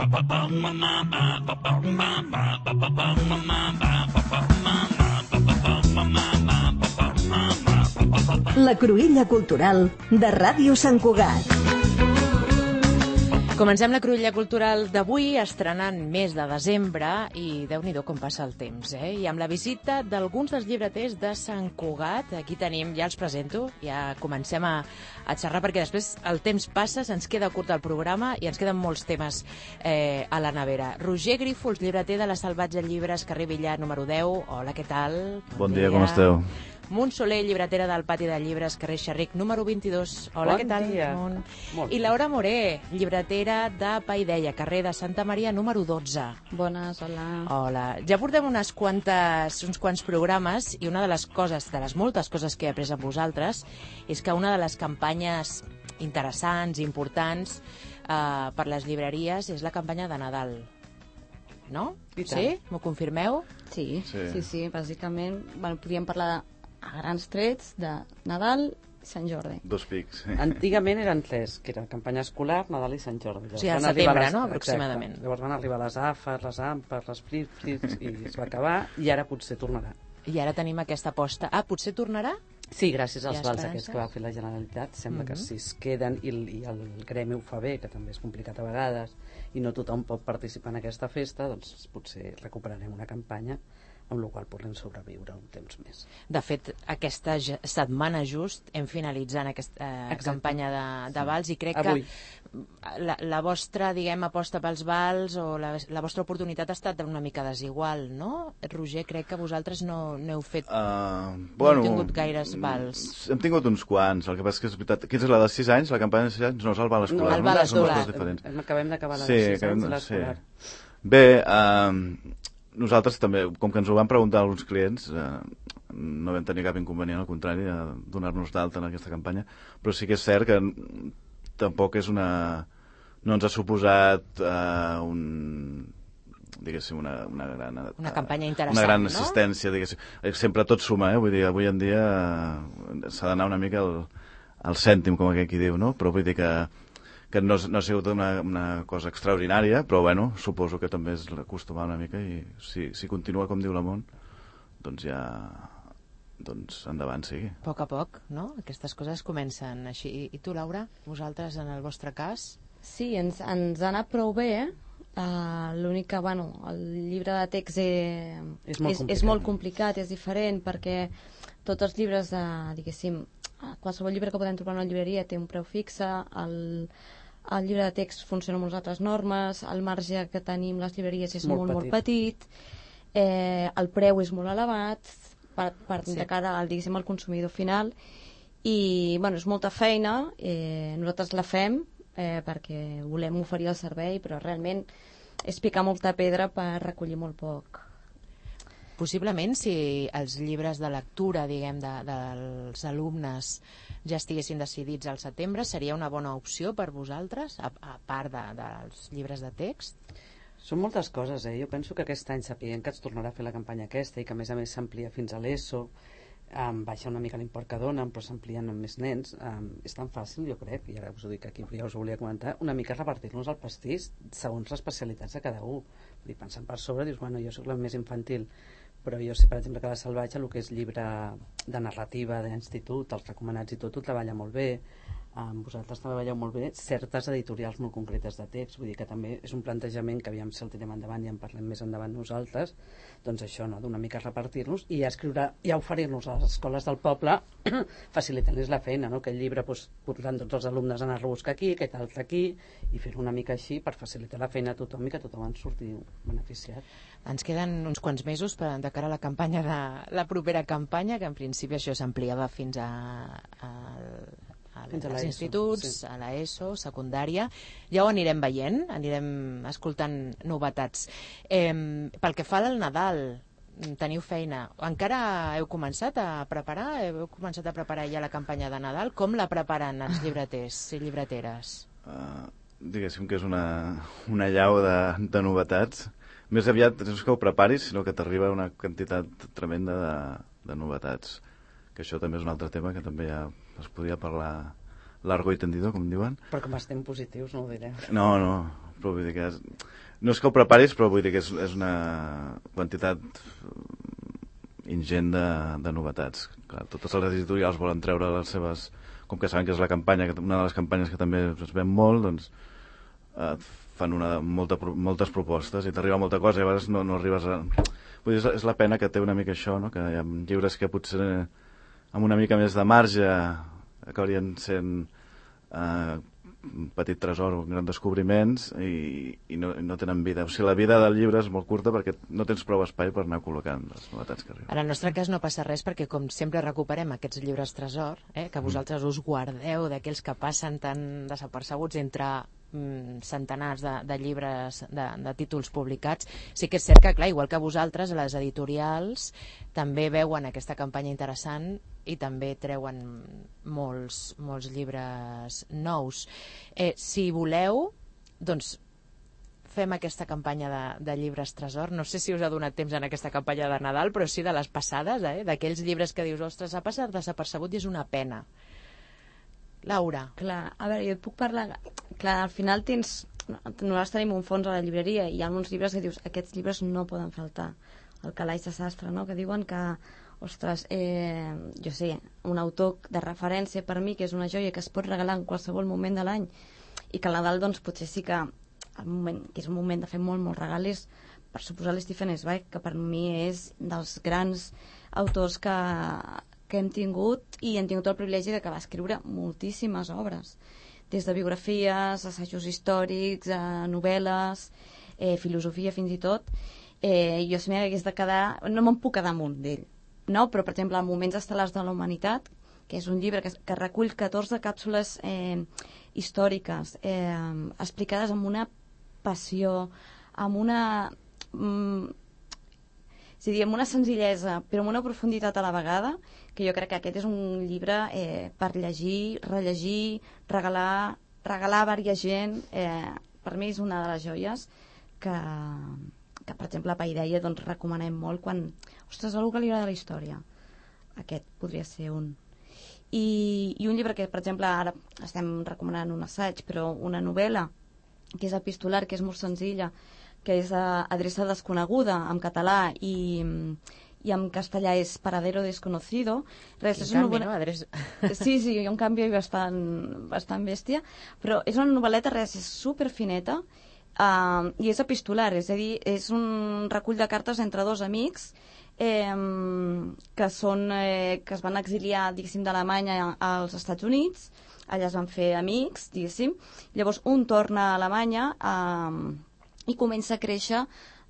La Cruïlla Cultural de Ràdio Sant Cugat. Comencem la Cruïlla Cultural d'avui estrenant mes de desembre i Déu-n'hi-do com passa el temps, I amb la visita d'alguns dels llibreters de Sant Cugat. Aquí tenim, ja els presento, ja comencem a xerrar perquè després el temps passa, se'ns queda curt el programa i ens queden molts temes a la nevera. Roger Grífols, llibreter de la Salvatge Llibres, carrer Villar, número 10. Hola, què tal? Bon dia, com esteu? Munt Soler, llibretera del Pati de Llibres, carrer Xerric, número 22. Hola, què tal? Bon dia. I Laura Moré, llibretera de Paideia, carrer de Santa Maria, número 12. Bones, hola. Hola. Ja portem uns quants programes i una de les coses, de les moltes coses que he après amb vosaltres, és que una de les campanyes interessants, importants per les llibreries és la campanya de Nadal. No? Sí? M'ho confirmeu? Sí. Bàsicament, podríem parlar a grans trets de Nadal i Sant Jordi. Dos pics. Antigament eren tres, que era campanya escolar, Nadal i Sant Jordi. O sigui, al setembre, no?, aproximadament. Exacte. Llavors van arribar les AFAs, les AMPAs, les FRIFs, i es va acabar, i ara potser tornarà. I ara tenim aquesta aposta. Potser tornarà? Sí, gràcies als vals aquests que va fer la Generalitat. Sembla que si es queden i el gremi ho fa bé, que també és complicat a vegades, i no tothom pot participar en aquesta festa, doncs potser recuperarem una campanya amb la qual podrem sobreviure un temps més. De fet, aquesta setmana just hem finalitzant aquesta campanya de vals i crec Avui. Que la vostra, diguem, aposta pels vals o la vostra oportunitat ha estat una mica desigual, no? Roger, crec que vosaltres no heu fet... no heu tingut gaires vals. Hem tingut uns quants, el que passa que és veritat. Aquí és la de 6 anys, la campanya de 6 anys no és el val escolar. No, el val escolar. Acabem d'acabar la de 6 anys, l'escolar. Bé, nosaltres també, com que ens ho van preguntar alguns clients, no vam tenir cap inconvenient, al contrari, a donar-nos d'alta en aquesta campanya, però sí que és cert que tampoc és no ens ha suposat diguéssim, una campanya interessant, una gran assistència, diguéssim. Sempre tot suma, vull dir, avui en dia s'ha d'anar una mica al cèntim, com aquell qui diu, no? Però vull dir que no ha sigut una cosa extraordinària, però bueno, suposo que també és acostumar una mica i si continua com diu la Mont, doncs ja endavant sigui. A poc, no? Aquestes coses comencen així. I tu, Laura, vosaltres en el vostre cas? Sí, ens ha anat prou bé. L'únic que, el llibre de text és molt complicat, és diferent, perquè tots els llibres diguéssim, qualsevol llibre que podem trobar en una llibreria té un preu fixe, el llibre de text funciona amb unes altres normes, el marge que tenim les llibreries és molt petit, el preu és molt elevat de cara al consumidor final i és molta feina, nosaltres la fem perquè volem oferir el servei, però realment és picar molta pedra per recollir molt poc. Possiblement, si els llibres de lectura, diguem, dels alumnes ja estiguessin decidits al setembre, seria una bona opció per vosaltres, a part dels llibres de text? Són moltes coses, Jo penso que aquest any sapiguem que es tornarà a fer la campanya aquesta i que a més s'amplia fins a l'ESO, baixa una mica l'import que donen, però s'amplien amb més nens. És tan fàcil, jo crec, i ara us ho dic aquí, però ja us ho volia comentar, una mica repartir-nos el pastís segons les especialitats de cada un. Pensant per sobre, dius, jo soc la més infantil, però jo sé, per exemple, que la Salvatge, el que és llibre de narrativa d'institut, els recomanats i tot, ho treballa molt bé. Vosaltres treballeu molt bé certes editorials molt concretes de text, vull dir que també és un plantejament que aviam si el tirem endavant i en parlem més endavant nosaltres, doncs això, d'una mica repartir-nos i escriure i oferir-nos a les escoles del poble facilitant-los la feina, que el llibre posant tots els alumnes a anar-lo a buscar aquí, aquest altre aquí, i fer-ho una mica així per facilitar la feina a tothom i que tothom en surti beneficiat. Ens queden uns quants mesos de cara a la campanya la propera campanya, que en principi això s'ampliava fins als instituts, a l'ESO, secundària. Ja ho anirem veient, anirem escoltant novetats. Pel que fa al Nadal, teniu feina. Encara heu començat a preparar? Heu començat a preparar ja la campanya de Nadal? Com la preparen els llibreters i llibreteres? Diguéssim que és una llau de novetats. Més aviat no és que ho preparis, sinó que t'arriba una quantitat tremenda de novetats. Que això també és un altre tema que també ja es podia parlar largo i tendido, com diuen. Però com estem positius no ho direm. No, però vull dir que no és que ho preparis, però vull dir que és una quantitat ingent de novetats. Clar, totes les editorials volen treure les seves... Com que saben que és la campanya, una de les campanyes que també es ven molt, doncs fan moltes propostes i t'arriba molta cosa i a vegades no arribes a... Vull dir, és la pena que té una mica això, no? Que hi ha llibres que potser amb una mica més de marge acabarien sent un petit tresor, un gran descobriments i no tenen vida. O sigui, la vida del llibre és molt curta perquè no tens prou espai per anar col·locant les novetats que arriben. En el nostre cas no passa res perquè com sempre recuperem aquests llibres tresor, que vosaltres us guardeu d'aquells que passen tan desapercebuts entre centenars de llibres de títols publicats. Sí que és cert que, clar, igual que vosaltres, les editorials també veuen aquesta campanya interessant i també treuen molts llibres nous. Si voleu, doncs fem aquesta campanya de llibres tresor. No sé si us ha donat temps en aquesta campanya de Nadal, però sí de les passades, d'aquells llibres que dius, ostres, ha passat desapercebut i és una pena. Laura. Clar, a veure, jo et puc parlar... Clar, al final nosaltres tenim un fons a la llibreria i hi ha uns llibres que dius, aquests llibres no poden faltar. El Calaix de Sastre, no?, que diuen que, ostres, jo sé, un autor de referència per mi, que és una joia que es pot regalar en qualsevol moment de l'any i que al Nadal, doncs, potser sí que és un moment de fer molt regales, per suposar l'Stephen Zweig, que per mi és dels grans autors que hem tingut i hem tingut el privilegi de que va escriure moltíssimes obres, des de biografies, assajos històrics, novel·les, filosofia fins i tot. Jo si m'hagués de quedar, no me'n puc quedar amunt d'ell, no? Però per exemple Moments estel·lars de la humanitat, que és un llibre que recull 14 càpsules històriques explicades amb una passió, amb una amb una senzillesa però amb una profunditat a la vegada, que jo crec que aquest és un llibre per llegir, rellegir, regalar a vària gent. Per mi és una de les joies que per exemple a Paideia doncs recomanem molt quan, ostres, algú que li agrada la història. Aquest podria ser un. I un llibre que, per exemple, ara estem recomanant un assaig, però una novel·la que és epistolar, que és molt senzilla, que és Adreça desconeguda en català i en castellà és Paradero desconocido. És una novel·la... Sí, hi ha un canvi bastant bèstia, però és una novel·leta, és superfineta i és epistolar, és a dir, és un recull de cartes entre dos amics que es van exiliar, diguéssim, d'Alemanya als Estats Units. Allà es van fer amics, diguéssim. Llavors un torna a Alemanya i comença a créixer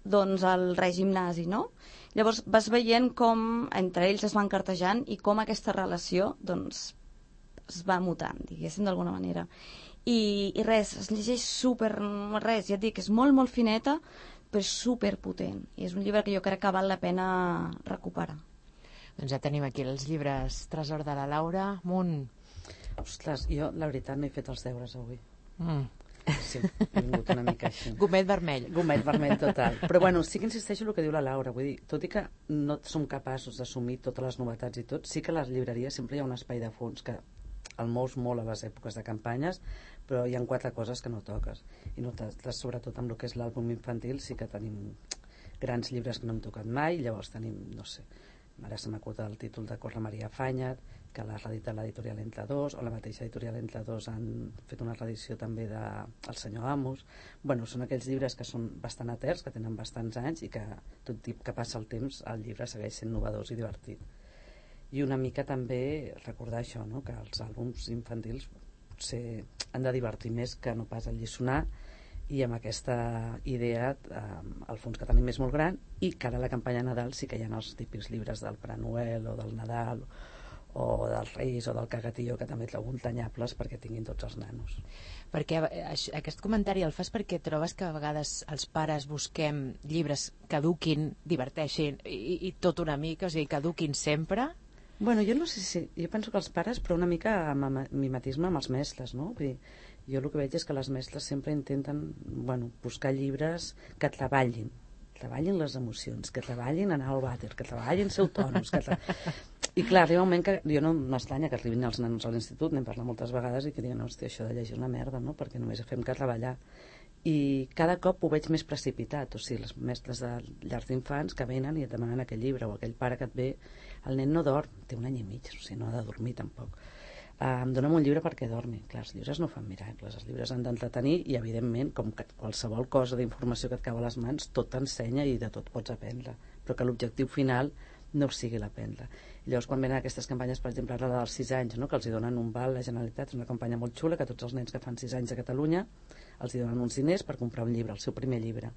doncs el règim nazi, no? Llavors vas veient com entre ells es van cartejant i com aquesta relació doncs es va mutant, diguéssim, d'alguna manera. I res, es llegeix ja et dic, és molt fineta, però és superpotent. I és un llibre que jo crec que val la pena recuperar. Doncs ja tenim aquí els llibres tresor de la Laura. Munt. Ostres, jo la veritat no he fet els deures avui. Sí, he vingut una mica així. Gomet vermell. Gomet vermell total. Però bueno, sí que insisteixo en el que diu la Laura. Vull dir, tot i que no som capaços d'assumir totes les novetats i tot, sí que a les llibreries sempre hi ha un espai de fons que el mous molt a les èpoques de campanyes, però hi ha 4 coses que no toques. I sobretot amb el que és l'àlbum infantil sí que tenim grans llibres que no hem tocat mai. Llavors tenim, no sé, ara se m'acuta el títol de Corre Maria Fanyat, que l'ha reeditat l'editorial Entre Dos, o la mateixa editorial Entre Dos han fet una reedició també de El senyor Amos. Bueno, són aquells llibres que són bastant eterns, que tenen bastants anys i que tot tip que passa el temps el llibre segueix sent novedós i divertit. I una mica també recordar això, no? Que els àlbums infantils potser han de divertir més que no pas alliçonar, i amb aquesta idea el fons que tenim és molt gran, i que ara a la campanya de Nadal sí que hi ha els típics llibres del Pare Noel o del Nadal o dels Reis o del Cagatillo, que també trobo entanyables perquè tinguin tots els nanos. Perquè aquest comentari el fas perquè trobes que a vegades els pares busquem llibres que eduquin, diverteixin i tot una mica, o sigui, que eduquin sempre? Bueno, jo no sé si... Jo penso que els pares, però una mica amb mimetisme amb els mestres, no? Vull dir, jo el que veig és que les mestres sempre intenten, bueno, buscar llibres que treballin les emocions, que treballin anar al vàter, que treballin ser autònoms, I clar, arriba un moment que jo no m'estranya que arribin els nanos a l'institut, n'hem parlat moltes vegades, i que diuen, hòstia, això de llegir una merda, no? Perquè només fem que treballar. i cada cop ho veig més precipitat, o sigui, les mestres de llars d'infants que venen i et demanen aquell llibre, o aquell pare que et ve, el nen no dorm, té 1 any i mig, o sigui, no ha de dormir tampoc. Em dona'm un llibre perquè dormi. Clar, els llibres no fan miracles, els llibres han d'entretenir i, evidentment, com que qualsevol cosa d'informació que et cau a les mans, tot t'ensenya i de tot pots aprendre, però que l'objectiu final no sigui l'aprendre. I llavors, quan venen aquestes campanyes, per exemple, ara la dels 6 anys, no? Que els hi donen un val a la Generalitat, és una campanya molt xula, que tots els nens que fan 6 anys a Catalunya els hi donen uns diners per comprar un llibre, el seu primer llibre.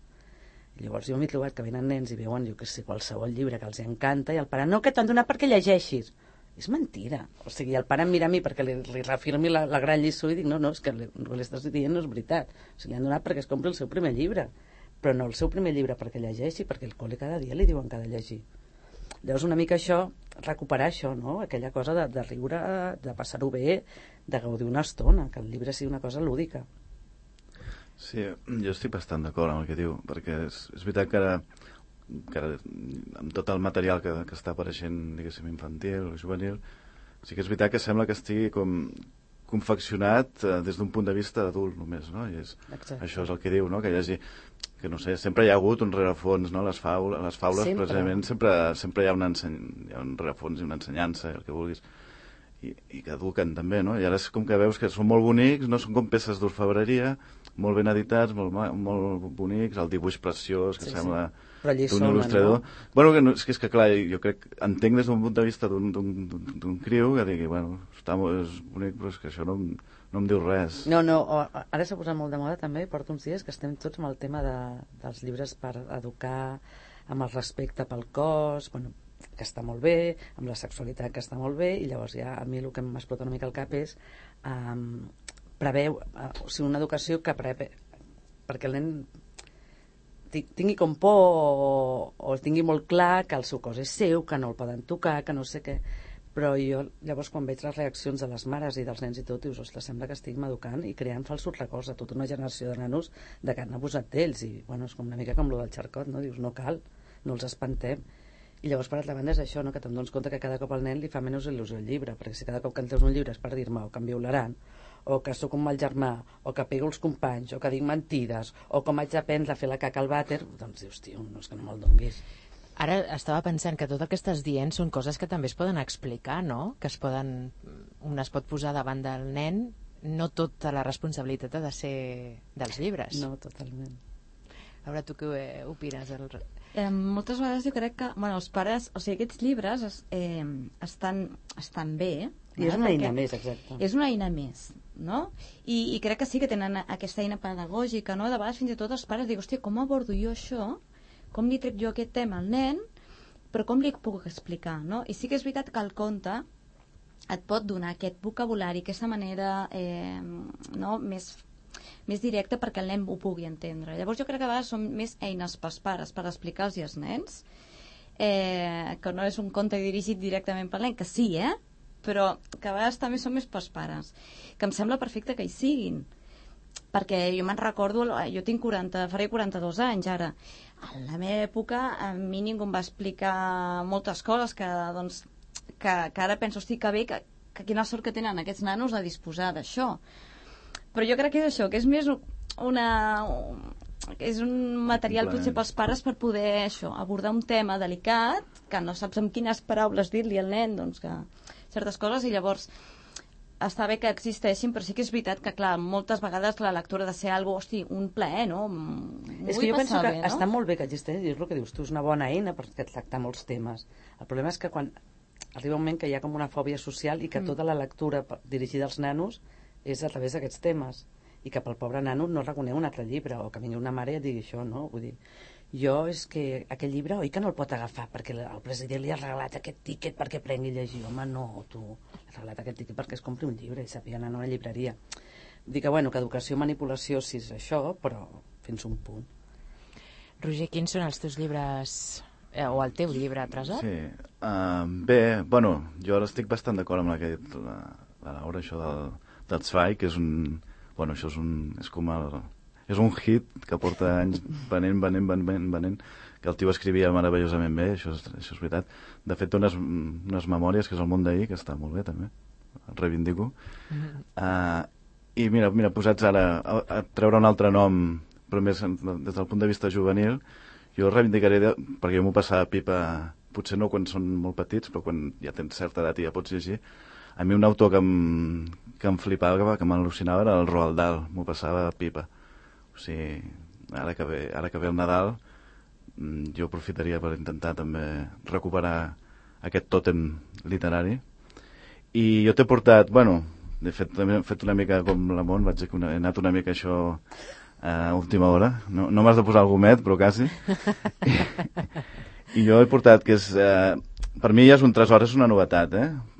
I llavors jo m'he trobat que venen nens i veuen, jo que sé, qualsevol llibre que els encanta, i el pare, no, que t'han donat perquè llegeixis. És mentira. O sigui, el pare em mira a mi perquè li reafirmi la gran lliçó i dic, no, és que el que li estàs dient no és veritat. O sigui, li han donat perquè es compri el seu primer llibre, però no el seu primer llibre perquè llegeixi, perquè al col·le cada dia li diuen que ha de llegir. Llavors una mica això, recuperar això, no? Aquella cosa de riure, de passar-ho bé, de gaudir una estona, que el llibre sigui una cosa lúdica. Sí, jo estic bastant d'acord amb el que diu, perquè és veritat que ara amb tot el material que està apareixent, diguéssim, infantil o juvenil, sí que és veritat que sembla que estigui com confeccionat des d'un punt de vista adult només, no? I això és el que diu, no? Que hi hagi, que no sé, sempre hi ha hagut un rerefons, no? Les faules precisament sempre hi ha un rerefons i una ensenyança, el que vulguis, i que eduquen també, no? I ara és com que veus que són molt bonics, no? Són com peces d'orfebreria, molt ben editats, molt bonics, el dibuix preciós, que sembla d'un il·lustrador. No? Bueno, és que clar, jo entenc des d'un punt de vista d'un criu que digui, bueno, és bonic, però és que això no em diu res. No, ara s'ha posat molt de moda també, porto uns dies que estem tots amb el tema dels llibres per educar, amb el respecte pel cos, bueno, que està molt bé, amb la sexualitat que està molt bé, i llavors ja a mi el que m'explota una mica el cap és preveu, o sigui, una educació que perquè el nen tingui com por o tingui molt clar que el seu cos és seu, que no el poden tocar, que no sé què, però jo llavors quan veig les reaccions de les mares i dels nens i tot, dius, ostres, sembla que estiguem educant i creant falsos records a tota una generació de nanos de que han abusat d'ells, i bueno, és com una mica com lo del xarcot, no? Dius, no cal, no els espantem. I llavors, per altra banda, és això, no? Que te'n dones compte que cada cop al nen li fa menys il·lusió el llibre, perquè si cada cop que em treus un llibre és per dir-me o que em violaran, o que sóc un mal germà, o que pego els companys, o que dic mentides, o com haig d'aprendre a fer la caca al vàter, doncs dius, tio, no és que no me'l donguis. Ara estava pensant que tot el que estàs dient són coses que també es poden explicar, no? Que un es pot posar davant del nen, no tota la responsabilitat ha de ser dels llibres. No, totalment. A veure, tu què opines? Moltes vegades jo crec que els pares, o sigui, aquests llibres estan bé. I és una eina més, exacte. És una eina més, no? I crec que sí que tenen aquesta eina pedagògica, no? De vegades fins i tot els pares diuen, hòstia, com abordo jo això? Com li trec jo aquest tema al nen? Però com li puc explicar, no? I sí que és veritat que el conte et pot donar aquest vocabulari, aquesta manera més directa perquè el nen ho pugui entendre. Llavors jo crec que a vegades són més eines pels pares per explicar-los als nens, que no és un conte dirigit directament pel nen, que sí, però que a vegades també són més pels pares, que em sembla perfecte que hi siguin, perquè jo me'n recordo, jo faré 42 anys ara, a la meva època a mi ningú em va explicar moltes coses que ara penso, hosti, que bé, que quina sort que tenen aquests nanos a disposar d'això. Però jo crec que és això, que és més és un material potser pels pares per poder abordar un tema delicat, que no saps amb quines paraules dir-li al nen, doncs que certes coses, i llavors està bé que existeixin, però sí que és veritat que, clar, moltes vegades la lectura ha de ser un plaer, no? És que jo penso que està molt bé que existeixi, és el que dius tu, és una bona eina per tractar molts temes. El problema és que quan arriba un moment que hi ha com una fòbia social i que tota la lectura dirigida als nanos és a través d'aquests temes, i que pel pobre nano no reconeix un altre llibre, o que vingui una mare i et digui això, no? Vull dir, jo és que aquell llibre, oi que no el pot agafar perquè el president li ha regalat aquest tíquet perquè prengui a llegir? Home, no, tu, li ha regalat aquest tíquet perquè es compri un llibre i sàpiga anar a una llibreria. Vull dir que, que educació, manipulació, sí és això, però fins un punt. Roger, quins són els teus llibres, o el teu llibre tresor? Sí, bé, jo ara estic bastant d'acord amb la que ha dit la Laura, això del Zweig, que és un... això és un hit que porta anys venent, que el tio escrivia meravellosament bé, això és veritat. De fet, té unes memòries, que és el món d'ahir, que està molt bé, també. El reivindico. I mira, posats ara a treure un altre nom però més des del punt de vista juvenil, jo reivindicaré, perquè jo m'ho passava pipa, potser no quan són molt petits, però quan ja tens certa edat i ja pots llegir. A mi un autor que em flipava, que m'al·lucinava, era el Roald Dahl, m'ho passava pipa. O sigui, ara que ve el Nadal, jo aprofitaria per intentar també recuperar aquest tòtem literari. I jo t'he portat, bueno, he fet una mica com la Mont, he anat una mica això a última hora. No m'has de posar el gomet, però quasi. I jo he portat, que és... per mi ja és un tresor, és una novetat,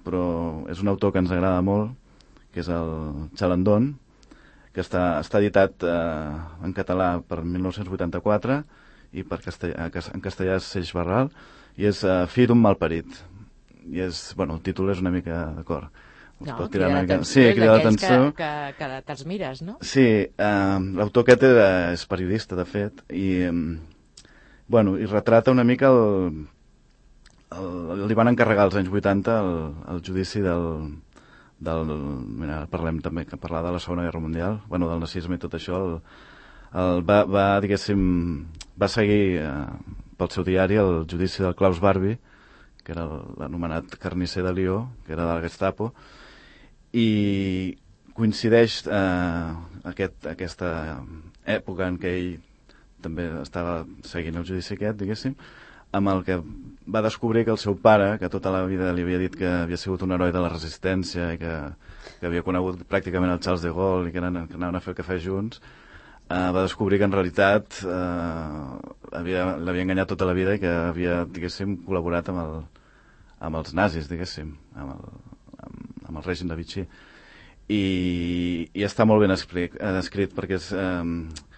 però és un autor que ens agrada molt, que és el Chalandon, que està editat en català per 1984 i en castellà és Seix Barral, i és Fill d'un malparit. I és, bueno, el títol és una mica d'acord. No, crida l'atenció, sí, crida l'atenció. Que te'ls mires, no? Sí, l'autor aquest és periodista, de fet, i retrata una mica li van encarregar als anys 80 el judici mira, parlem també, que parlar de la Segona Guerra Mundial, bueno, del nazisme i tot això, va seguir pel seu diari el judici del Klaus Barbie, que era l'anomenat carnisser de Lió, que era de la Gestapo, i coincideix aquesta època en què ell també estava seguint el judici aquest, diguéssim, amb el que va descobrir que el seu pare, que tota la vida li havia dit que havia sigut un heroi de la resistència i que havia conegut pràcticament el Charles de Gaulle i que anaven a fer el cafè junts, va descobrir que en realitat l'havia enganyat tota la vida i que havia, diguéssim, col·laborat amb els nazis, diguéssim, amb el règim de Vichy. I està molt ben escrit perquè és...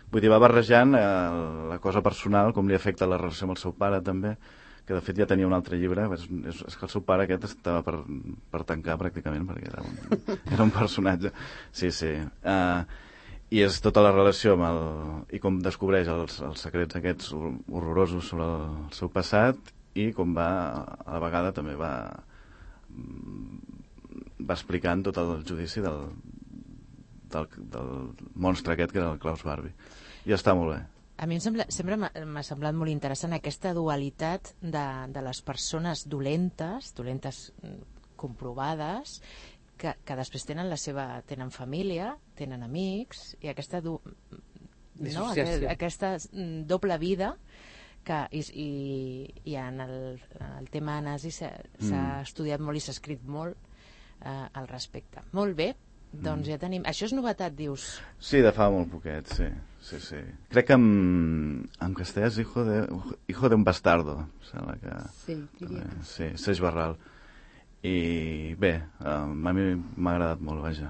vull dir, va barrejant la cosa personal, com li afecta la relació amb el seu pare també, que de fet ja tenia un altre llibre. És que el seu pare aquest estava per tancar pràcticament, perquè era un personatge. Sí. I és tota la relació i com descobreix els secrets aquests horrorosos sobre el seu passat, i com a la vegada també va explicant tot el judici del monstre aquest que era el Klaus Barbie. I està molt bé. A mi sempre m'ha semblat molt interessant aquesta dualitat de les persones dolentes comprovades, que després tenen família, tenen amics, i aquesta doble vida i en el tema nazi s'ha estudiat molt i s'ha escrit molt al respecte. Molt bé, doncs ja tenim... Això és novetat, dius? Sí, de fa molt poquet, sí. Crec que en castellà és hijo de un bastardo, sembla que... Sí, Seix Barral. I bé, a mi m'ha agradat molt, vaja,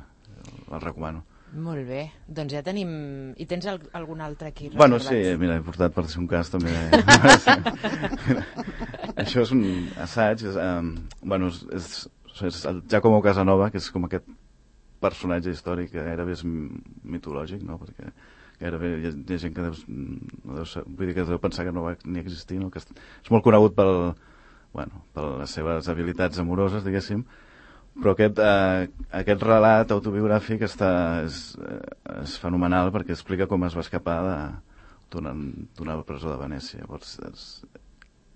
el recomano. Molt bé, doncs ja tenim... I tens algun altre aquí reservat? Bueno, sí, mira, he portat per ser un cas també. Això és un assaig, és el Giacomo Casanova, que és com aquest personatge històric que gairebé és mitològic, no? Perquè gairebé hi ha gent que deu pensar que no va ni existir, no? Que és molt conegut per les seves habilitats amoroses, diguéssim, però aquest relat autobiogràfic és fenomenal perquè explica com es va escapar d'una presó de Venècia. Llavors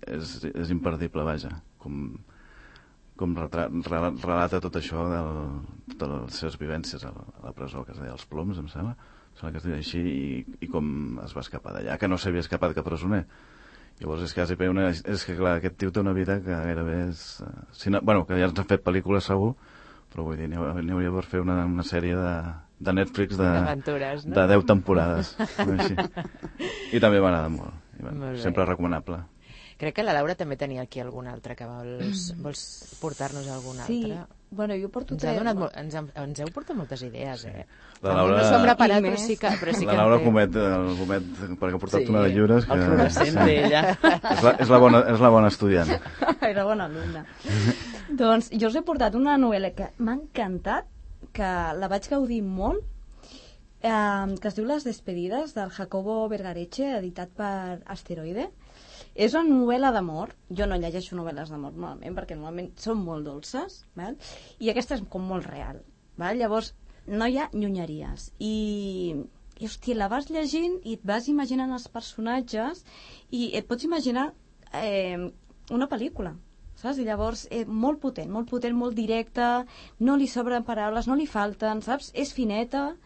és imperdible, vaja, com relata tot això totes les seves vivències a la presó, que es deia Els Ploms, em sembla que es deia així, i com es va escapar d'allà, que no s'havia escapat cap presoner. Llavors és que clar, aquest tio té una vida que gairebé és... que ja ens han fet pel·lícules segur, però vull dir, n'hi hauria per fer una sèrie de Netflix d'aventures, no? De 10 temporades. I també m'agrada molt. Sempre recomanable. Crec que la Laura també tenia aquí algun altre, que vols portar-nos algun altre. Sí, bueno, jo porto ens heu portat moltes idees, La Laura... No s'ho hem preparat, però sí que... La Laura comet, perquè ha portat una de llibres... El fluorescent d'ella. És la bona estudiant. Era bona alumna. Doncs jo us he portat una novel·la que m'ha encantat, que la vaig gaudir molt, que es diu Les despedides, del Jacobo Vergareche, editat per Asteroide. És una novel·la d'amor. Jo no llegeixo novel·les d'amor normalment, perquè normalment són molt dolces, val? I aquesta és com molt real, val? Llavors no hi ha llunyeries, i i, hòstia, la vas llegint i et vas imaginant els personatges i et pots imaginar una pel·lícula, saps? I llavors, molt potent, molt directa, no li sobren paraules, no li falten, saps? És fineta,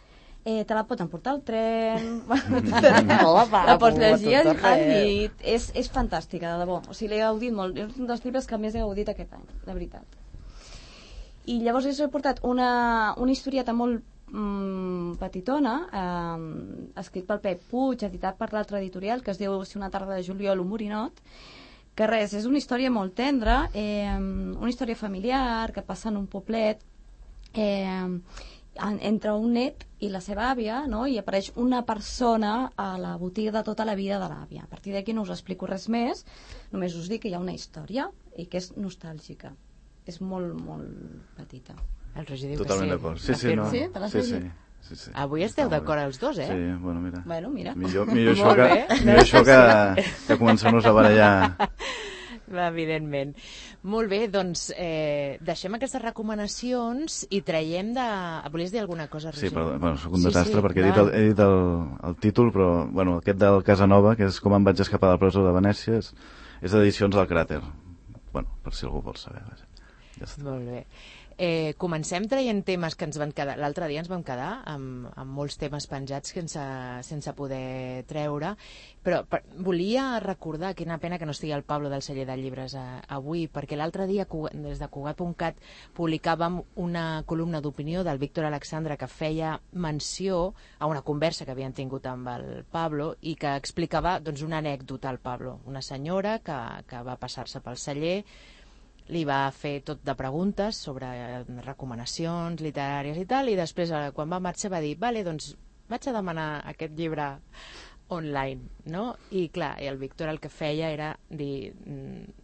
te la pot emportar al tren, la pots llegir al llit, és fantàstica, de debò. O sigui, l'he gaudit molt, és un dels llibres que més he gaudit aquest any, de veritat. I llavors he portat una historieta molt petitona, escrit pel Pep Puig, editat per l'altra editorial, que es diu Si una tarda de juliol, un morinot, que res, és una història molt tendra, una història familiar que passa en un poblet entre un net i la seva àvia, no? I apareix una persona a la botiga de tota la vida de l'àvia. A partir d'aquí no us explico res més, només us dic que hi ha una història i que és nostàlgica. És molt, molt petita. El Roger diu totalment que sí. Totalment d'acord. Sí? Te l'has llegit? Sí. Avui esteu d'acord els dos, Sí, bueno, mira. Bueno, mira. Millor això que comencem-nos a barallar. Evidentment. Molt bé, doncs deixem aquestes recomanacions i traiem de... Volies dir alguna cosa, Roger? Sí, perdó, bueno, soc un desastre perquè he dit el títol, però bueno, aquest del Casanova, que és Com em vaig escapar de la presó de Venècia, és d'Edicions del Cràter. Bueno, per si algú vol saber. Ja està. Molt bé. Comencem traient temes que ens van quedar... L'altre dia ens vam quedar amb molts temes penjats sense poder treure, però volia recordar, quina pena que no estigui el Pablo del celler de llibres avui, perquè l'altre dia des de Cugat.cat publicàvem una columna d'opinió del Víctor Alexandre que feia menció a una conversa que havien tingut amb el Pablo i que explicava doncs, una anècdota al Pablo, una senyora que va passar-se pel celler, li va fer tot de preguntes sobre recomanacions literàries i tal, i després, quan va marxar, va dir, vale, doncs vaig a demanar aquest llibre online, no? I clar, el Víctor el que feia era dir,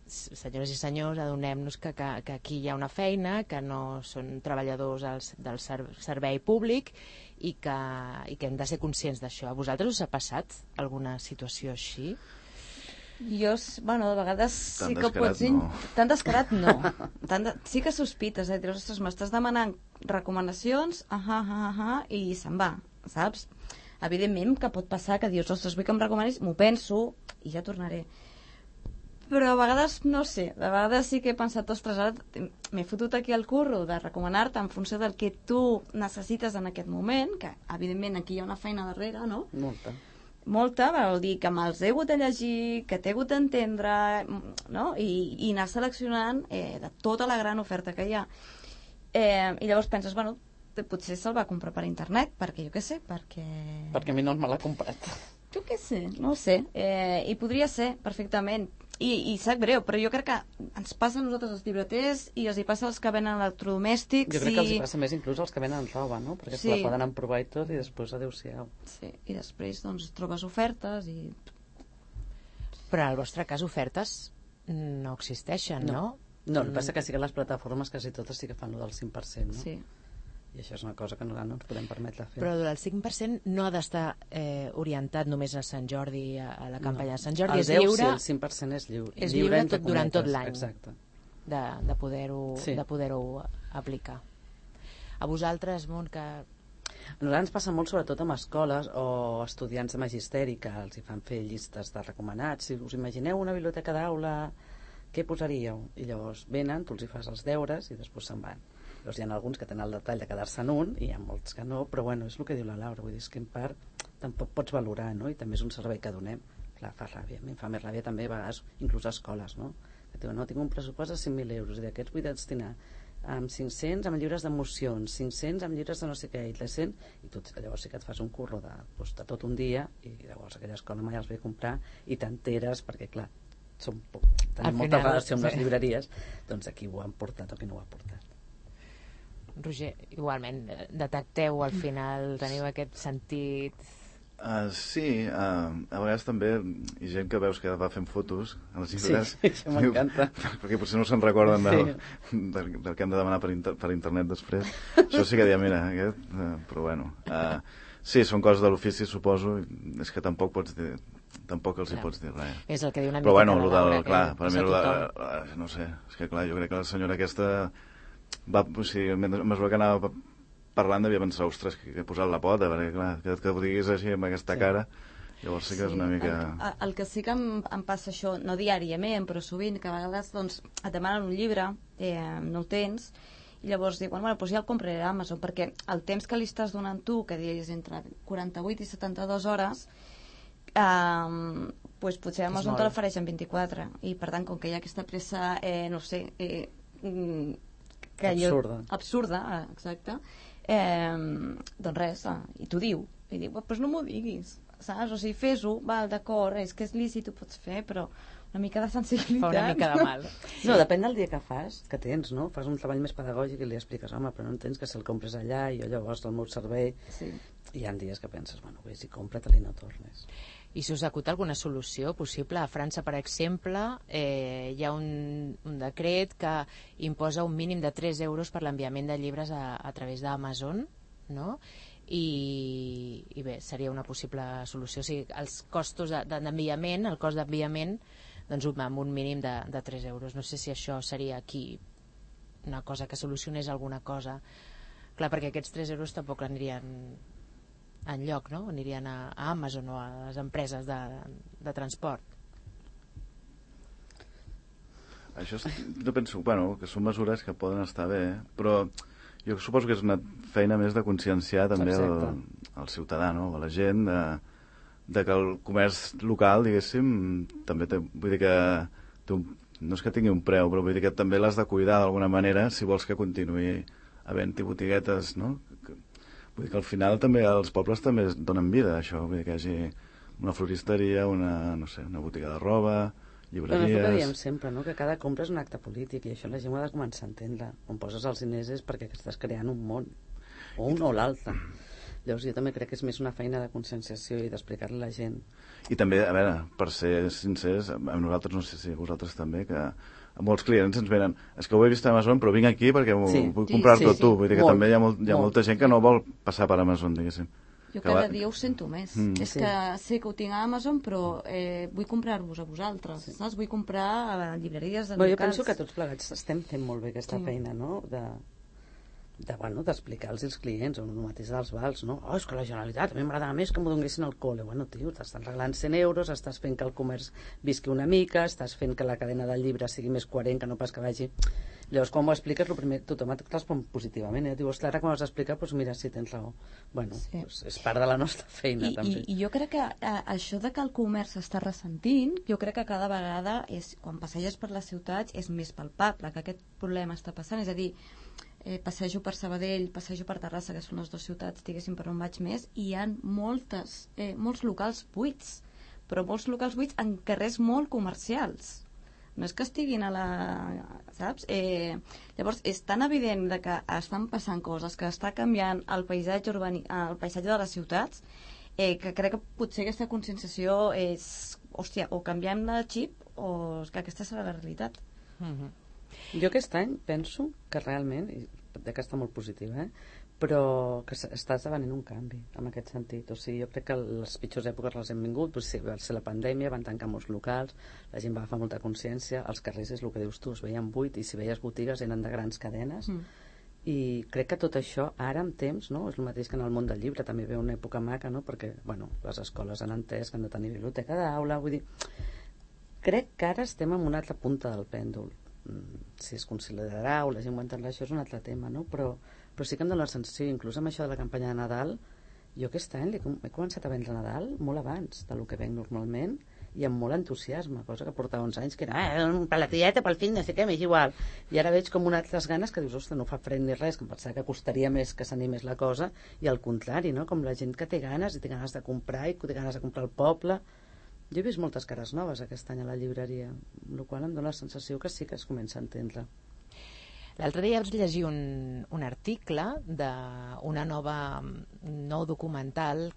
senyores i senyors, adonem-nos que aquí hi ha una feina, que no són treballadors del servei públic i que hem de ser conscients d'això. A vosaltres us ha passat alguna situació així? Jo, bueno, de vegades sí que ho pots dir... No. Tan descarat no. Sí que sospites, dius, ostres, m'estàs demanant recomanacions, i se'n va, saps? Evidentment que pot passar que dius, ostres, vull que em recomanis, m'ho penso i ja tornaré. Però a vegades, no sé, de vegades sí que he pensat, ostres, ara m'he fotut aquí el curro de recomanar-te en funció del que tu necessites en aquest moment, que evidentment aquí hi ha una feina darrere, no? Molta, vol dir que me'ls he hagut de llegir, que t'he hagut d'entendre, no? I anar seleccionant de tota la gran oferta que hi ha. I llavors penses, bueno, potser se'l va comprar per internet, perquè jo què sé, perquè a mi no me l'ha comprat. Jo què sé, no ho sé. I podria ser, perfectament. I sap greu, però jo crec que ens passa a nosaltres els llibreters i els hi passa als que venen electrodomèstics. Jo crec que els hi passa més inclús als que venen roba, no? Perquè se la poden emprovar i tot i després adéu-siau. Sí, i després doncs trobes ofertes i... Però en el vostre cas ofertes no existeixen, no? No, el que passa que sí que les plataformes quasi totes sí que fan el del 5%, no? Sí. I això és una cosa que no ens podem permetre fer. Però el 5% no ha d'estar orientat només a Sant Jordi, a la campanya de Sant Jordi. El 10, sí, el 5% és lliure. És lliure durant tot l'any. Exacte. De poder-ho aplicar. A vosaltres, Mont, que... A nosaltres ens passa molt sobretot amb escoles o estudiants de magisteri que els hi fan fer llistes de recomanats. Si us imagineu una biblioteca d'aula, què posaríeu? I llavors venen, tu els hi fas els deures i després se'n van. Llavors hi ha alguns que tenen el detall de quedar-se en un i hi ha molts que no, però bueno, és el que diu la Laura, vull dir, és que en part tampoc pots valorar, no? I també és un servei que donem. Clar, fa ràbia, a mi em fa més ràbia també a vegades, inclús a escoles, no? Que diuen, no, tinc un pressupost de 5.000 euros i d'aquests vull destinar amb 500 amb llibres d'emocions, 500 amb llibres de no sé què, i 300, i tu llavors sí que et fas un curro de tot un dia i llavors aquella escola mai els ve a comprar i t'enteres perquè, clar, tenim molta relació amb les llibreries, doncs aquí ho han portat o qui no ho ha portat. Roger, igualment, detecteu al final, teniu aquest sentit... Sí, a vegades també hi ha gent que veus que va fent fotos a les llibres. Sí, això m'encanta. Perquè potser no se'n recorden del que hem de demanar per internet després. Això sí que diuen, mira, aquest... Però bueno, sí, són coses de l'ofici, suposo, és que tampoc pots dir... Tampoc els hi pots dir res. És el que diu una però mica bueno, clar, per mi tothom. no sé, és que clar, jo crec que la senyora aquesta va, o sigui, a mesura que anava parlant devia pensar, ostres, que he posat la pota, perquè clar, que ho diguis així amb aquesta cara, llavors sí que és una mica... El que sí que em passa això, no diàriament, però sovint, que a vegades doncs, et demanen un llibre, no el tens, i llavors diuen, bueno, doncs ja el compraré a Amazon, perquè el temps que li estàs donant tu, que dius entre 48 i 72 hores, doncs potser Amazon te l'ofereix en 24, i per tant, com que hi ha aquesta pressa, no sé... absurda, exacte, doncs res, i t'ho diu, i diu, doncs no m'ho diguis, saps? O sigui, fes-ho, val, d'acord, és que és lícit, ho pots fer, però una mica de sensibilitat. Fa una mica de mal. No, depèn del dia que fas, que tens, no? Fas un treball més pedagògic i li expliques, home, però no entens que si el compres allà i jo llavors el meu servei... Sí. Hi ha dies que penses, bueno, vés i compra-te-li i no tornes. I si us acut alguna solució possible? A França, per exemple, hi ha un decret que imposa un mínim de 3 euros per l'enviament de llibres a través d'Amazon, no? I bé, seria una possible solució. O sigui, els costos d'enviament, el cost d'enviament, doncs amb un mínim de 3 euros. No sé si això seria aquí una cosa que solucionés alguna cosa. Clar, perquè aquests 3 euros tampoc anirien enlloc, no? Anirien a Amazon o a les empreses de transport. Això jo penso, bueno, que són mesures que poden estar bé, però jo suposo que és una feina més de conscienciar també el ciutadà, no? A la gent de que el comerç local, diguéssim, també té, vull dir que no és que tingui un preu, però vull dir que també l'has de cuidar d'alguna manera si vols que continuï havent-hi botiguetes, no? Vull dir que al final també els pobles també es donen vida a això, vull dir que hi hagi una floristeria, una botiga de roba, llibreries... Però no diem sempre, no? Que cada compra és un acte polític i això la gent ho ha de començar a entendre. On poses els diners és perquè estàs creant un món, o un o l'altre. Llavors jo també crec que és més una feina de conscienciació i d'explicar-li a la gent. I també, a veure, per ser sincers, a nosaltres, no sé si a vosaltres també, que molts clients ens venen, és que ho he vist a Amazon però vinc aquí perquè vull comprar-t'ho tu, vull dir que també hi ha molta gent que no vol passar per Amazon, diguéssim. Jo cada dia ho sento més. És que sé que ho tinc a Amazon però vull comprar-vos a vosaltres, saps? Vull comprar a llibreries de locals. Jo penso que tots plegats estem fent molt bé aquesta feina, no? D'explicar-los als clients, o el mateix dels vals, no? Oh, és que la Generalitat, a mi m'agradava més que m'ho donessin al col·le. Bueno, tio, t'estan regalant 100 euros, estàs fent que el comerç visqui una mica, estàs fent que la cadena del llibre sigui més coherent, que no pas que vagi... Llavors, quan ho expliques, el primer, tothom et respon positivament, Diu, ostres, ara quan ho has d'explicar, doncs mira, sí, tens raó. Bueno, doncs és part de la nostra feina, també. I jo crec que això de que el comerç s'està ressentint, jo crec que cada vegada, quan passeges per les ciutats, és més palpable que aquest problema està passant, és a dir, passejo per Sabadell, passejo per Terrassa, que són les dues ciutats, diguéssim, per on vaig més, i hi ha molts locals buits, però molts locals buits en carrers molt comercials. No és que estiguin a la... saps? Llavors, és tan evident que estan passant coses, que està canviant el paisatge el paisatge de les ciutats, que crec que potser aquesta conscienciació és... Hòstia, o canviem de xip o és que aquesta serà la realitat. Jo aquest any penso que realment, i que està molt positiu, però que està esdevenint un canvi en aquest sentit. O sigui, jo crec que les pitjors èpoques les hem vingut, va ser la pandèmia, van tancar molts locals, la gent va agafar molta consciència, els carrers és el que dius tu, es veien buit, i si veies botigues eren de grans cadenes, i crec que tot això ara amb temps, no? És el mateix que en el món del llibre, també ve una època maca, no? Perquè bueno, les escoles han entès que han de tenir biblioteca d'aula, vull dir, crec que ara estem en una altra punta del pèndol. Si es considerarà o la gent ho entendrà, això és un altre tema, no? Però sí que em dóna la sensació, inclús amb això de la campanya de Nadal, jo aquest any he començat a vendre Nadal molt abans del que venc normalment i amb molt entusiasme, cosa que portava uns anys que era per la tieta, pel fill, no sé què, m'és igual. I ara veig com unes altres ganes que dius, ostres, no fa fred ni res, que em pensava que costaria més que s'animés la cosa, i al contrari, no? Com la gent que té ganes i té ganes de comprar i que té ganes de comprar al poble. Jo he vist moltes cares noves aquest any a la llibreria, el qual em dóna la sensació que sí que es comença a entendre. L'altre dia vaig llegir un article d'un nou documental,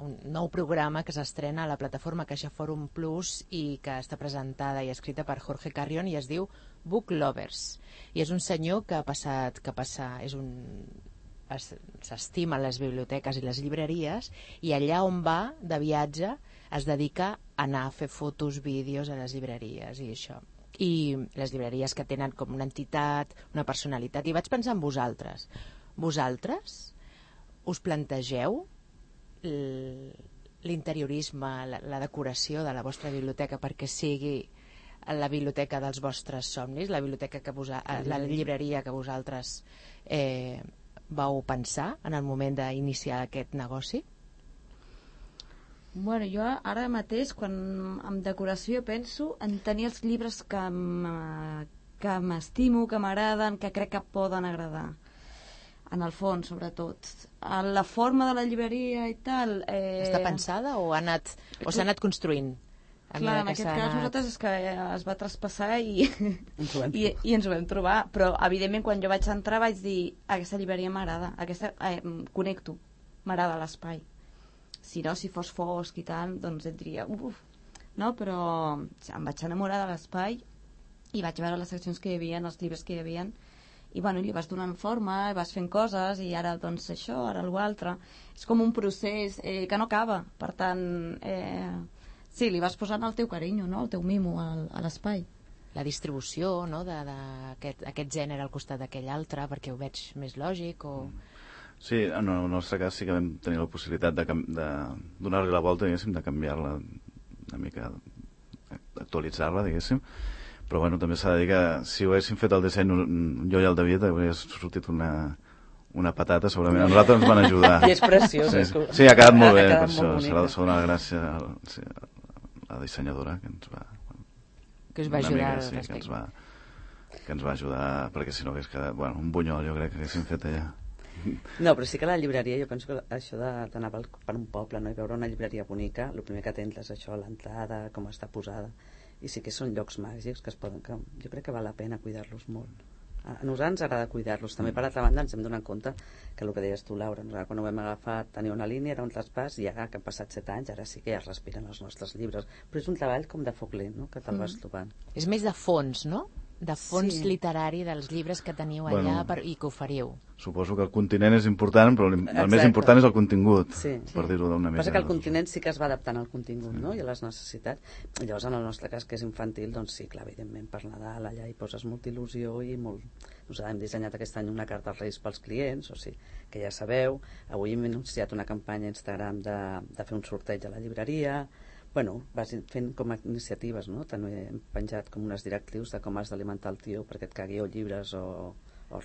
un nou programa que s'estrena a la plataforma Caixa Fòrum Plus i que està presentada i escrita per Jorge Carrión i es diu Book Lovers. I és un senyor que s'estima les biblioteques i les llibreries i allà on va de viatge es dedica a anar a fer fotos, vídeos a les llibreries i això. I les llibreries que tenen com una entitat, una personalitat. I vaig pensar en vosaltres. Vosaltres us plantegeu l'interiorisme, la decoració de la vostra biblioteca perquè sigui la biblioteca dels vostres somnis, la biblioteca la llibreria que vosaltres vau pensar en el moment d'iniciar aquest negoci? Bueno, jo ara mateix, quan amb decoració penso en tenir els llibres que m'estimo, que m'agraden, que crec que poden agradar. En el fons, sobretot. La forma de la llibreria i tal... Està pensada o s'ha anat construint? Clar, en aquest cas nosaltres és que es va traspassar i ens ho vam trobar, però evidentment quan jo vaig entrar vaig dir aquesta llibreria m'agrada, connecto, m'agrada l'espai. Si no, si fos fosc i tal, doncs et diria uf, no? Però em vaig enamorar de l'espai i vaig veure les seccions que hi havia, els llibres que hi havia, i bueno, li vas donant forma, vas fent coses, i ara doncs això, ara l'altre. És com un procés que no acaba, per tant... Sí, li vas posant el teu carinyo, no? El teu mimo a l'espai. La distribució, no?, d'aquest gènere al costat d'aquell altre, perquè ho veig més lògic o... Sí, en el nostre cas sí que vam tenir la possibilitat de donar-li la volta, diguéssim, de canviar-la una mica, actualitzar-la, diguéssim. Però bueno, també s'ha de dir que si ho haguéssim fet el disseny jo i el David hauria sortit una patata, segurament. A nosaltres ens van ajudar. I és preciós. Sí, ha quedat molt bé, per això. S'ha de donar gràcia a la dissenyadora que ens va... Que us va ajudar al respecte. Que ens va ajudar, perquè si no hagués quedat... Bueno, un bunyol, jo crec que haguéssim fet allà. No, però sí que la llibreria, jo penso que això d'anar per un poble, no?, i veure una llibreria bonica, el primer que tens és això, l'entrada, com està posada, i sí que són llocs màgics que jo crec que val la pena cuidar-los molt. A nosaltres ens agrada cuidar-los. També, per altra banda, ens hem donat compte que el que deies tu, Laura, nosaltres quan ho vam agafar tenia una línia, era un traspàs, i ara que han passat 7 anys, ara sí que ja es respiren els nostres llibres. Però és un treball com de foc lent, no?, que te'l vas trobant. És més de fons, no?, de fons literari dels llibres que teniu allà i que oferiu. Suposo que el continent és important, però el més important és el contingut, per dir-ho d'una mica. Passa que el continent sí que es va adaptant al contingut, no?, i a les necessitats. Llavors, en el nostre cas, que és infantil, doncs sí, clar, evidentment, per Nadal allà hi poses molta il·lusió i molt... Nosaltres hem dissenyat aquest any una carta als Reis pels clients, o sigui, que ja sabeu. Avui hem anunciat una campanya a Instagram de fer un sorteig a la llibreria. Bueno, vas fent com a iniciatives, no? També hem penjat com unes directrius de com has d'alimentar el tio perquè et cagui o llibres o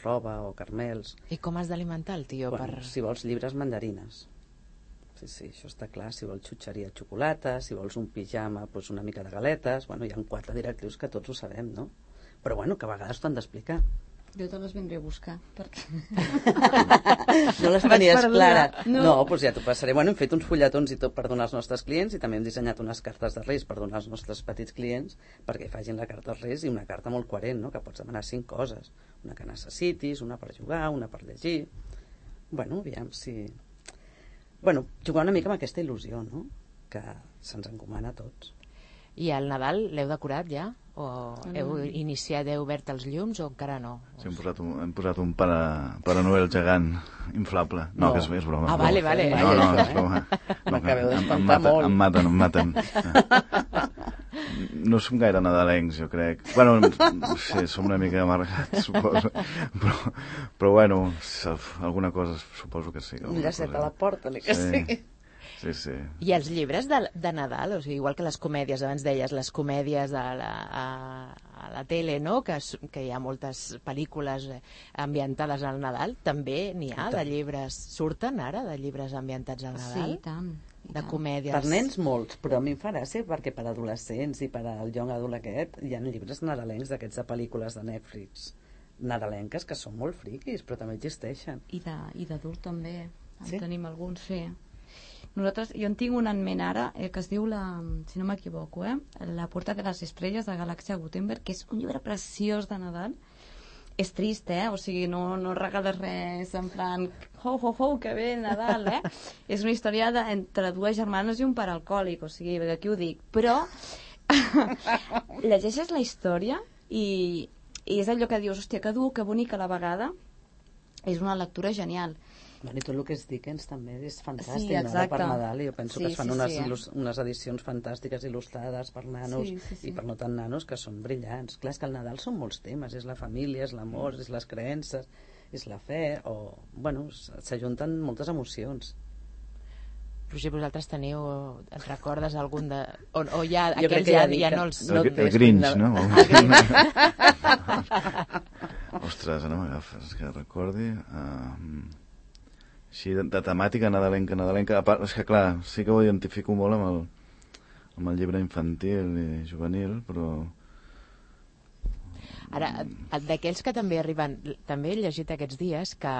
roba o carmels. I com has d'alimentar el tio? Bueno, si vols llibres, mandarines. Sí, això està clar. Si vols xutxeria, xocolata. Si vols un pijama, doncs una mica de galetes. Bueno, hi ha 4 directrius que tots ho sabem, no? Però bueno, que a vegades t'ho han d'explicar. Jo te les vindré a buscar, perquè... No les tenies clares? No, doncs ja t'ho passaré. Bueno, hem fet uns fulletons i tot per donar als nostres clients i també hem dissenyat unes cartes de Reis per donar als nostres petits clients perquè facin la carta als Reis i una carta molt coherent, no?, que pots demanar 5 coses. Una que necessitis, una per jugar, una per llegir... Bueno, aviam si... Bueno, jugar una mica amb aquesta il·lusió, no?, que se'ns encomana a tots. I al Nadal l'heu decorat ja? O heu iniciat, heu obert els llums o encara no? Sí, hem posat un Pare Noel gegant inflable. No, que és broma. Ah, vale. No, és broma. M'acabeu d'espantar molt. Em maten. No som gaire nadalencs, jo crec. Bueno, sí, som una mica amargats, suposo. Però bueno, alguna cosa suposo que sí. Un llacet a la porta, ni que sigui. Sí. I els llibres de Nadal, o sigui, igual que les comèdies, abans deies, les comèdies a la tele, no?, que hi ha moltes pel·lícules ambientades al Nadal, també n'hi ha de llibres, surten ara de llibres ambientats al Nadal? Sí, i tant. De comèdies. Per nens molts, però a mi em fa gràcia perquè per adolescents i per al young adult aquest hi ha llibres nadalencs d'aquests de pel·lícules de Netflix nadalenques que són molt friquis, però també existeixen. I d'adult també, en tenim alguns, sí. Nosaltres, jo en tinc un en ment ara que es diu, si no m'equivoco, La Puerta de les Estrelles de Galàxia Gutenberg, que és un llibre preciós de Nadal. És trist, o sigui, no regales res en plan ho, que bé Nadal, És una història entre 2 germanes i un pare alcohòlic, o sigui, aquí ho dic, però llegeixes la història i és allò que dius, hòstia, que dur, que bonic a la vegada. És una lectura genial. Bueno, i tot el que és Dickens també és fantàstic, sí, no? Per Nadal, i jo penso que es fan unes edicions fantàstiques il·lustrades per nanos i per no tan nanos que són brillants. Clar, és que el Nadal són molts temes, és la família, és l'amor, és les creences, és la fe, o, bueno, s'ajunten moltes emocions. Roger, vosaltres teniu, et recordes algun de... O ja, Jo aquells ja no els... El Grinch, no? Ostres, no m'agafes, que recordi... Així, de temàtica nadalenca. És que, clar, sí que ho identifico molt amb el llibre infantil i juvenil, però... Ara, d'aquells que també arriben... També he llegit aquests dies que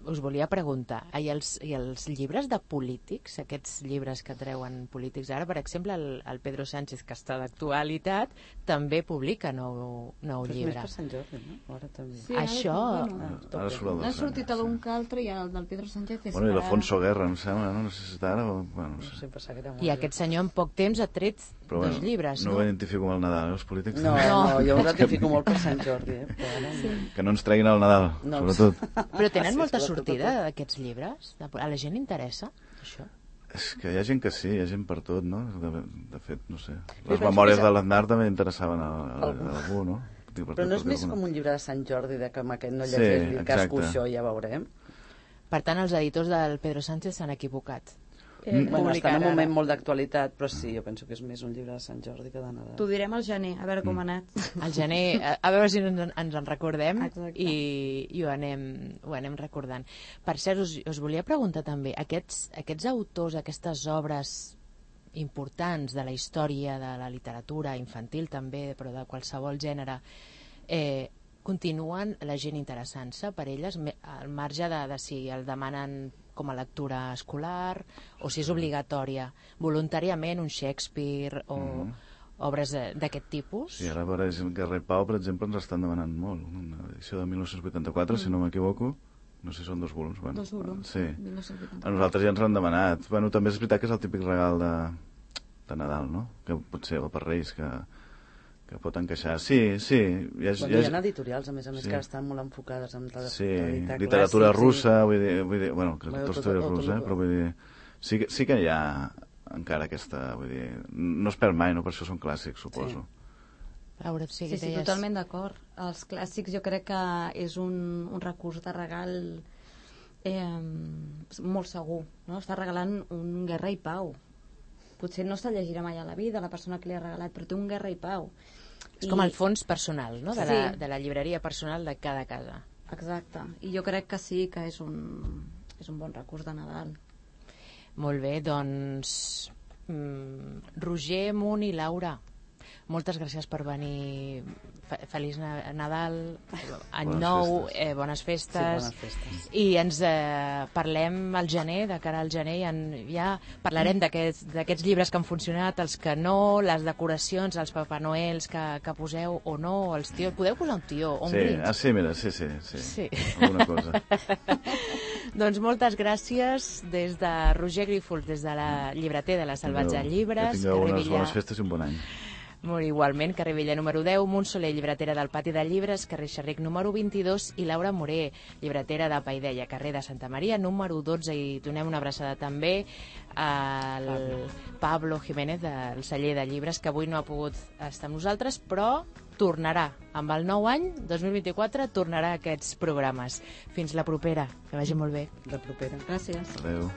us volia preguntar, i els llibres de polítics, aquests llibres que treuen polítics ara, per exemple, el Pedro Sánchez, que està d'actualitat, també publica nou llibre. Però és més per Sant Jordi, no? Ara també. Sí, això... N'ha sortit algun que altre i el del Pedro Sánchez és... Bueno, i l'Alfonso Guerra, em sembla, no? No sé si està ara o... Bueno, no sé. I aquest senyor en poc temps ha tret dos llibres, no? No ho identifico amb el Nadal, els polítics. No, jo ho identifico molt per Sant Jordi, Que no ens treguin el Nadal, sobretot. Però tenen molta sortida d'aquests llibres? A la gent interessa, això? És que hi ha gent que sí, hi ha gent per tot, no? De fet, no sé. Les memòries de l'Aznar també interessaven a algú, no? Però no és més com un llibre de Sant Jordi, de que amb aquest no llegeix casco això, ja veurem. Per tant, els editors del Pedro Sánchez s'han equivocat. Bueno, està en un moment molt d'actualitat, però sí, jo penso que és més un llibre de Sant Jordi que de Nadal. T'ho direm al gener, a veure com ha anat. Al gener, a veure si ens en recordem i ho anem recordant. Per cert, us volia preguntar també, aquests autors, aquestes obres importants de la història, de la literatura infantil també, però de qualsevol gènere, continuen la gent interessant-se per elles, al marge de si el demanen com a lectura escolar o si és obligatòria, voluntàriament, un Shakespeare o obres d'aquest tipus? Sí, ara per exemple, Guerra i Pau, per exemple, ens estan demanant molt. Una edició de 1984, si no m'equivoco. No sé si són 2 volums. Bueno, 2 volums, sí. 1984. A nosaltres ja ens han demanat. Bueno, també és veritat que és el típic regal de Nadal, no? Que potser per Reis, que pot encaixar. Sí. Hi ha editorials, a més, que estan molt enfocades en literatura russa, vull dir, bueno, que Tolstoi és rus, però vull dir, sí que hi ha encara aquesta, vull dir, no es perd mai, no? Per això són clàssics, suposo. Laura, sí, totalment d'acord. Els clàssics jo crec que és un recurs de regal molt segur, no? Està regalant un Guerra i Pau. Potser no se'l llegirà mai a la vida la persona que li ha regalat, però té un Guerra i Pau. És com el fons personal, no? De la llibreria personal de cada casa. Exacte, i jo crec que sí que és un bon recurs de Nadal. Molt bé, doncs Roger, Munt i Laura, moltes gràcies per venir. Feliç Nadal, any nou, bones festes. Sí, bones festes. I ens parlem al gener, de cara al gener, ja parlarem d'aquests llibres que han funcionat, els que no, les decoracions, els Papa Noels que poseu o no, els tios. Podeu posar un tió o un Grinch? Sí, mira, sí. Alguna cosa. Doncs moltes gràcies des de Roger Grífols, des de la llibreter de la Salvatge Llibres. Que tingueu unes bones festes i un bon any. Molt igualment, carrer Vella número 10, Montsoler, llibretera del Pati de Llibres, carrer Xerric número 22, i Laura Moré, llibretera de Paideia, carrer de Santa Maria número 12, i donem una abraçada també al Pablo Jiménez del celler de llibres, que avui no ha pogut estar amb nosaltres, però tornarà, amb el nou any 2024 tornarà a aquests programes. Fins la propera, que vagi molt bé. La propera. Gràcies. Adéu.